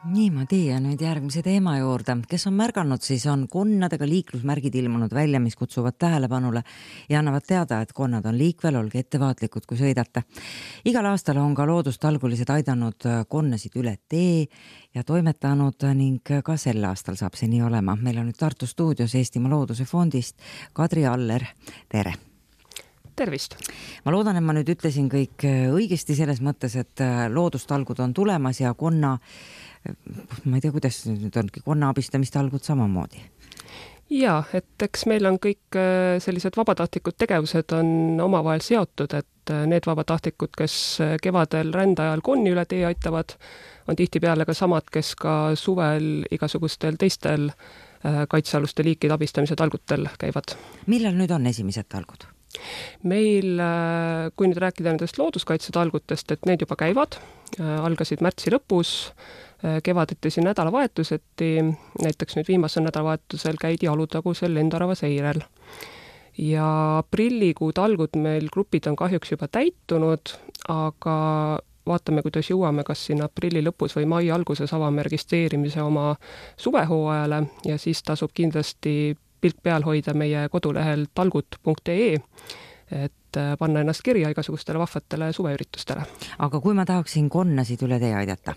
Niimoodi ja nüüd järgmise teema juurde. Kes on märganud, siis on konnadega liiklusmärgid ilmunud välja, mis kutsuvad tähelepanule ja annavad teada, et konnad on liikvel, olge ettevaatlikud, kui sõidate. Igal aastal on ka loodustalgulised aidanud konnasid üle tee ja toimetanud ning ka sel aastal saab see nii olema. Meil on nüüd Tartu stuudios Eestimaa Looduse Fondist Kadri Aller. Tere! Tervist! Ma loodan, et ma nüüd ütlesin kõik õigesti selles mõttes, et loodustalgud on tulemas ja ma ei tea, kuidas nüüd ongi konna abistamistalgud samamoodi. Jaa, et eks meil on kõik sellised vabatahtlikud tegevused on omavahel seotud, et need vabatahtlikud, kes kevadel rändajal konni üle tee aitavad, on tihtipeale ka samad, kes ka suvel igasugustel teistel kaitsealuste liikide abistamise talgutel käivad. Millal nüüd on esimesed talgud? Meil, kui nüüd rääkida nendest looduskaitsetalgutest, et need juba käivad, algasid märtsi lõpus, kevadeti siin nädalavahetuseti, näiteks nüüd viimasel nädalavahetusel käidi Alutagusel Lendorava seirel. Ja aprillikuu talgud meil grupid on kahjuks juba täitunud, aga vaatame, kuidas jõuame, kas siin aprilli lõpus või mai alguses avame registreerimise oma suvehooajale ja siis tasub kindlasti pilk peal hoida meie kodulehel talgut.ee, et panna ennast kirja igasugustele vahvatele suveüritustele. Aga kui ma tahaksin konnasid üle tee aidata,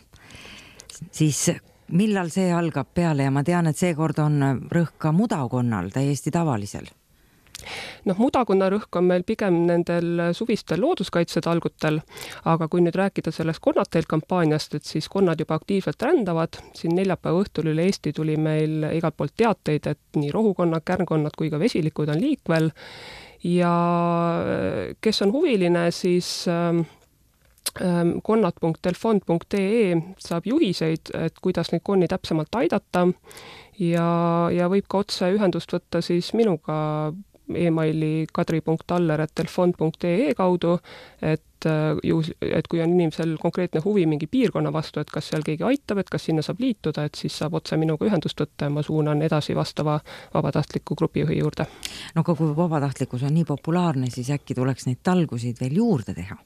siis millal see algab peale ja ma tean, et seekord on rõhk ka mudakonnal, täiesti tavalisel? Mudakonna rõhk on meil pigem nendel suvistel looduskaitsetalgutel, aga kui nüüd rääkida sellest konnateel kampaaniast, et siis konnad juba aktiivselt rändavad, siin neljapäeva õhtul üle Eesti tuli meil igalt poolt teateid, et nii rohukonnad, kärnkonnad kui ka vesilikud on liikvel ja kes on huviline, siis konnad.telefond.ee saab juhiseid, et kuidas neid konni täpsemalt aidata ja võib ka otse ühendust võtta siis minuga e-maili kadri.aller@telefond.ee kaudu, et kui on inimesel konkreetne huvi mingi piirkonna vastu, et kas seal keegi aitab, et kas sinna saab liituda, et siis saab otse minuga ühendust võtta ja ma suunan edasi vastava vabatahtliku grupijuhi juurde. Aga kui vabatahtlikkus on nii populaarne, siis äkki tuleks neid talgusid veel juurde teha,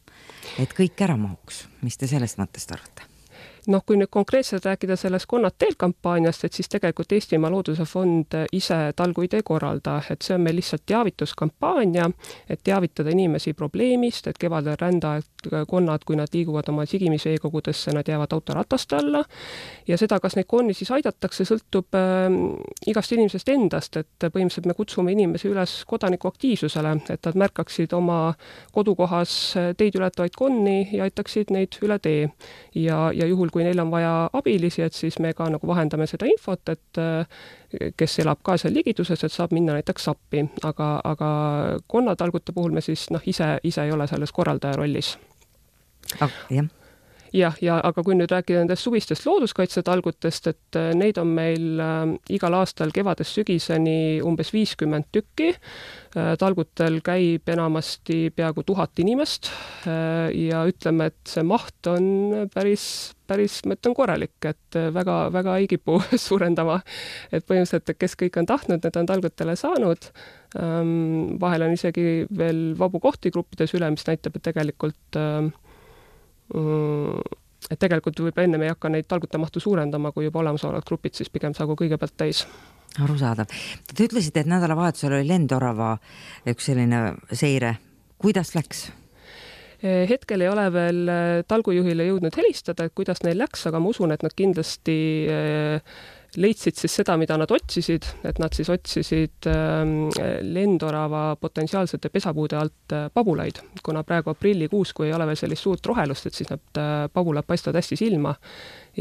et kõik ära mahuks. Mis te sellest mõttest arvate? Kui nüüd konkreetselt rääkida sellest konnad teel kampaaniast, et siis tegelikult Eestimaa Looduse Fond ise talguid ei korralda, et see on meil lihtsalt teavituskampaania, et teavitada inimesi probleemist, et kevadel rändajad konnad, kui nad liiguvad oma sigimisveekogudesse, nad jäävad autorataste alla ja seda, kas neid konni siis aidatakse, sõltub igast inimesest endast, et põhimõtteliselt me kutsume inimesi üles kodanikuaktiivsusele, et nad märkaksid oma kodukohas teid ületavaid konni ja aitaksid neid üle tee ja juhul, kui neil on vaja abilisi, et siis me ka nagu vahendame seda infot, et kes elab ka seal ligiduses, et saab minna näiteks appi, aga konnatalgute puhul me siis ise ei ole selles korraldaja rollis. Aga kui nüüd rääkida nendest suvistest looduskaitsetalgutest, et neid on meil igal aastal kevadest sügiseni umbes 50 tükki. Talgutel käib enamasti peaaegu 1000 inimest ja ütleme, et see maht on päris mõtlen korralik, et väga ei kipu suurendama. Et põhimõtteliselt, kes kõik on tahtnud, need on talgutele saanud. Vahel on isegi veel vabu kohti gruppides üle, mis näitab, et tegelikult võib enne me ei hakka neid talgute mahtu suurendama, kui juba olemasolevad grupid, siis pigem saagu kõigepealt täis. Arusaadav. Te ütlesite, et nädalavahetusel oli Lendorava üks selline seire. Kuidas läks? Hetkel ei ole veel talgujuhile jõudnud helistada, et kuidas neil läks, aga ma usun, et nad kindlasti leidsid siis seda, mida nad otsisid, et nad siis otsisid Lendorava potentsiaalsete pesapuude alt pabulaid, kuna praegu aprillikuus, kui ei ole veel sellist suurt rohelust, et siis need pabulad paistavad hästi silma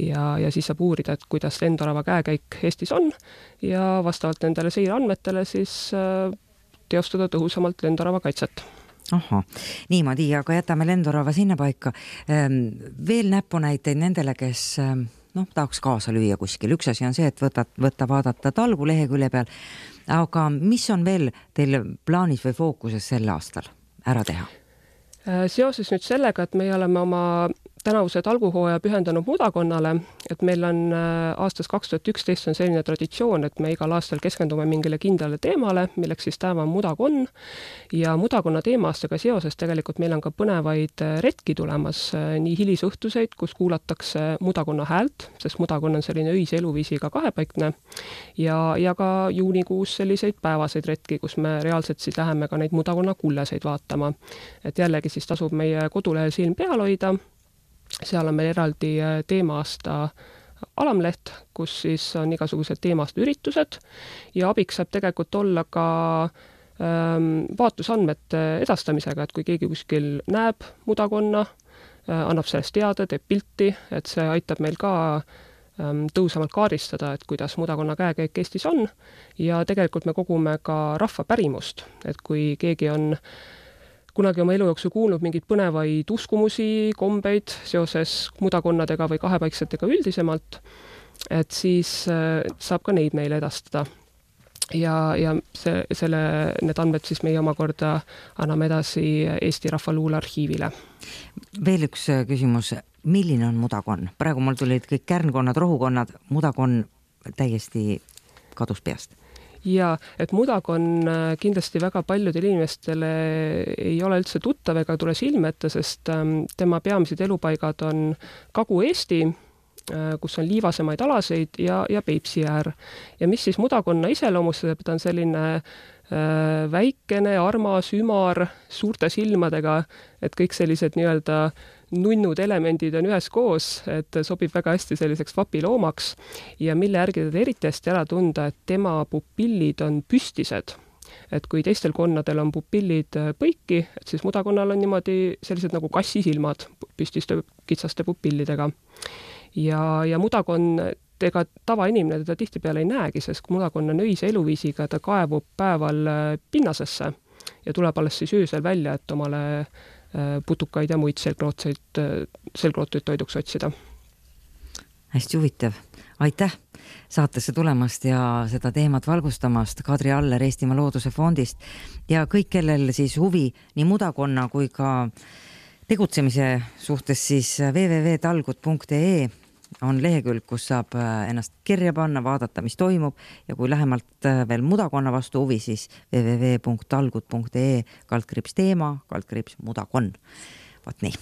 ja siis saab uurida, et kuidas Lendorava käekäik Eestis on ja vastavalt nendele seireandmetele siis teostada tõhusamalt Lendorava kaitset. Niimoodi, aga jätame Lendorava sinna paika. Veel näpunäiteid nendele, kes tahaks kaasa lüüa kuskil. Üks asi on see, et vaadata talgu lehekülje peal, aga mis on veel teil plaanis või fookuses sel aastal ära teha? Seoses nüüd sellega, et me oleme oma tänavuse talguhooaja pühendanud mudakonnale, et meil on aastast 2011 on selline traditsioon, et me igal aastal keskendume mingile kindlale teemale, milleks siis tänav on mudakonn ja mudakonna teemaastaga seoses tegelikult meil on ka põnevaid retki tulemas, nii hilisõhtuseid, kus kuulatakse mudakonna häält, sest mudakonna on selline öise eluviisiga kahepaikne ja ka juunikuus selliseid päevaseid retki, kus me reaalselt siis läheme ka neid mudakonna kulleseid vaatama. Et jällegi siis tasub meie kodulehel silm peal hoida. Seal on meil eraldi teema-aasta alamleht, kus siis on igasugused teema-aasta üritused ja abiks saab tegelikult olla ka vaatlusandmete edastamisega, et kui keegi kuskil näeb mudakonna, annab sellest teada, teeb pilti, et see aitab meil ka tõusamalt kaardistada, et kuidas mudakonna käekäik Eestis on ja tegelikult me kogume ka rahva pärimust, et kui keegi on kunagi oma elu jooksul kuulnud mingeid põnevaid uskumusi, kombeid seoses mudakonnadega või kahepaiksetega üldisemalt, et siis saab ka neid meile edastada. Ja need andmed siis meie omakorda anname edasi Eesti Rahvaluule arhiivile. Veel üks küsimus, milline on mudakonn? Praegu mul tulid kõik kärnkonnad, rohukonnad, mudakonn täiesti kadus peast. Ja, et mudakon kindlasti väga paljudele inimestele ei ole üldse tuttav ega tule silme ette, sest tema peamised elupaigad on Kagu-Eesti, kus on liivasemaid alaseid ja Peipsi äär. Ja mis siis mudakonna iseloomustab, ta on selline väikene, armas, ümar, suurte silmadega, et kõik sellised nii-öelda nunnud elemendid on ühes koos, et sobib väga hästi selliseks vapiloomaks ja mille järgi teda eriti hästi ära tunda, et tema pupillid on püstised. Et kui teistel konnadel on pupillid põiki, et siis mudakonnal on niimoodi sellised nagu kassisilmad püstiste kitsaste pupillidega. Ja mudakon, ega tavainimene teda tihtipeale ei näegi, sest mudakon on öise eluviisiga, ta kaevub päeval pinnasesse ja tuleb alles siis öösel välja, et omale putukaid ja muid selgrootuid toiduks otsida. Hästi huvitav. Aitäh saatesse tulemast ja seda teemat valgustamast. Kadri Aller Eestimaa Looduse Fondist ja kõik, kellel siis huvi nii mudakonna kui ka tegutsemise suhtes, siis www.talgut.ee on lehekülg, kus saab ennast kirja panna, vaadata, mis toimub ja kui lähemalt veel mudakonna vastu huvi, siis www.talgut.ee /teema/mudakon. Vaat nii.